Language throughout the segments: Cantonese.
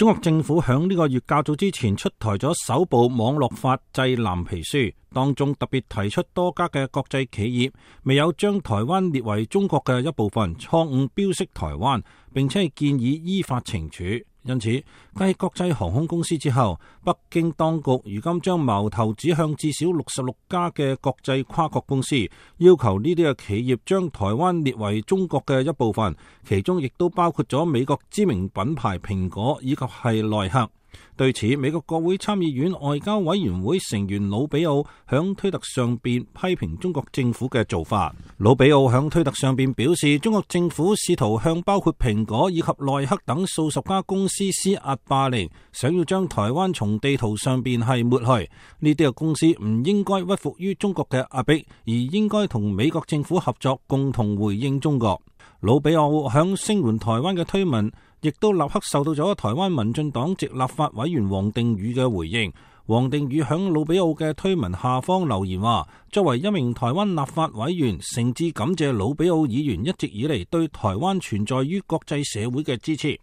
中國政府響呢個月較早之前出台咗首部網絡法制藍皮書，當中特別提出多家嘅國際企業未有將台灣列為中國嘅一部分，錯誤標示台灣，並且係建議依法懲處。因此，繼國際航空公司之後，北京當局如今將矛頭指向至少66家嘅國際跨國公司，要求呢啲嘅企業將台灣列為中國嘅一部分，其中亦都包括咗美國知名品牌蘋果以及係耐克。對此，美國國會參議院外交委員會成員魯比奧響推特上邊批評中國政府嘅做法。魯比奧響推特上邊表示，中國政府試圖向包括蘋果以及耐克等數十家公司施壓霸凌，想要將台灣從地圖上邊係抹去。呢啲嘅公司唔應該屈服於中國嘅壓迫，而應該同美國政府合作，共同回應中國。魯比奧響聲援台灣嘅推文，亦都立刻受到咗台灣民進黨籍立法委員王定宇嘅回應。王定宇響魯比奧嘅推文下方留言話：作為一名台灣立法委員，誠摯感謝魯比奧議員一直以嚟對台灣存在於國際社會嘅支持。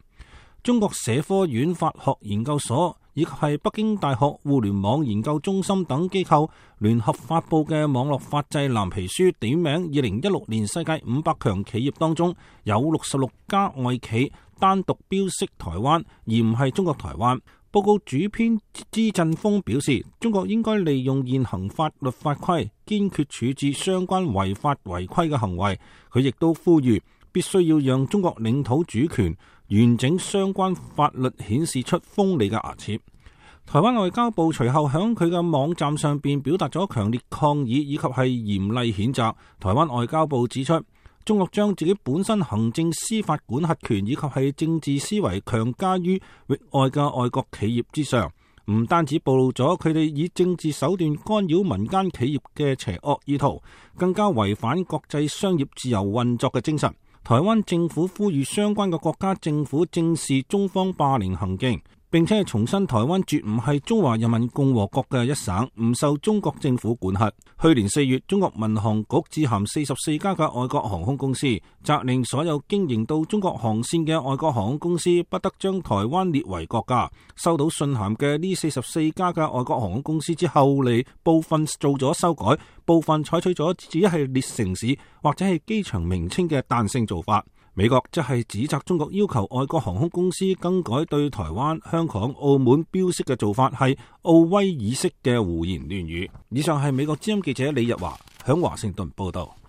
中國社科院法學研究所以及係北京大學互聯網研究中心等機構聯合發佈嘅網絡法制藍皮書，點名2016年世界500強企業當中有66家外企單獨標示台灣，而唔係中國台灣。報告主編支振鋒表示，中國應該利用現行法律法規，堅決處置相關違法違規嘅行為。佢亦都呼籲，必須要讓中國領土主權完整相關法律顯示出鋒利嘅牙齒。台灣外交部隨後響佢嘅網站上邊表達咗強烈抗議以及係嚴厲譴責。台灣外交部指出，中國將自己本身行政司法管轄權以及係政治思維強加於域外嘅外國企業之上，唔單止暴露咗佢哋以政治手段干擾民間企業嘅邪惡意圖，更加違反國際商業自由運作嘅精神。台灣政府呼籲相關嘅國家政府正視中方霸凌行徑，並且係重申台灣絕唔係中華人民共和國嘅一省，唔受中國政府管轄。去年4月，中國民航局致函44家嘅外國航空公司，責令所有經營到中國航線嘅外國航空公司不得將台灣列為國家。收到信函嘅呢44家嘅外國航空公司之後嚟，部分做咗修改，部分採取咗只係列城市或者係機場名稱嘅彈性做法。美國則係指責中國要求外國航空公司更改對台灣、香港、澳門標示嘅做法係奧威爾式嘅胡言亂語。以上係美國之音記者李日華響華盛頓報道。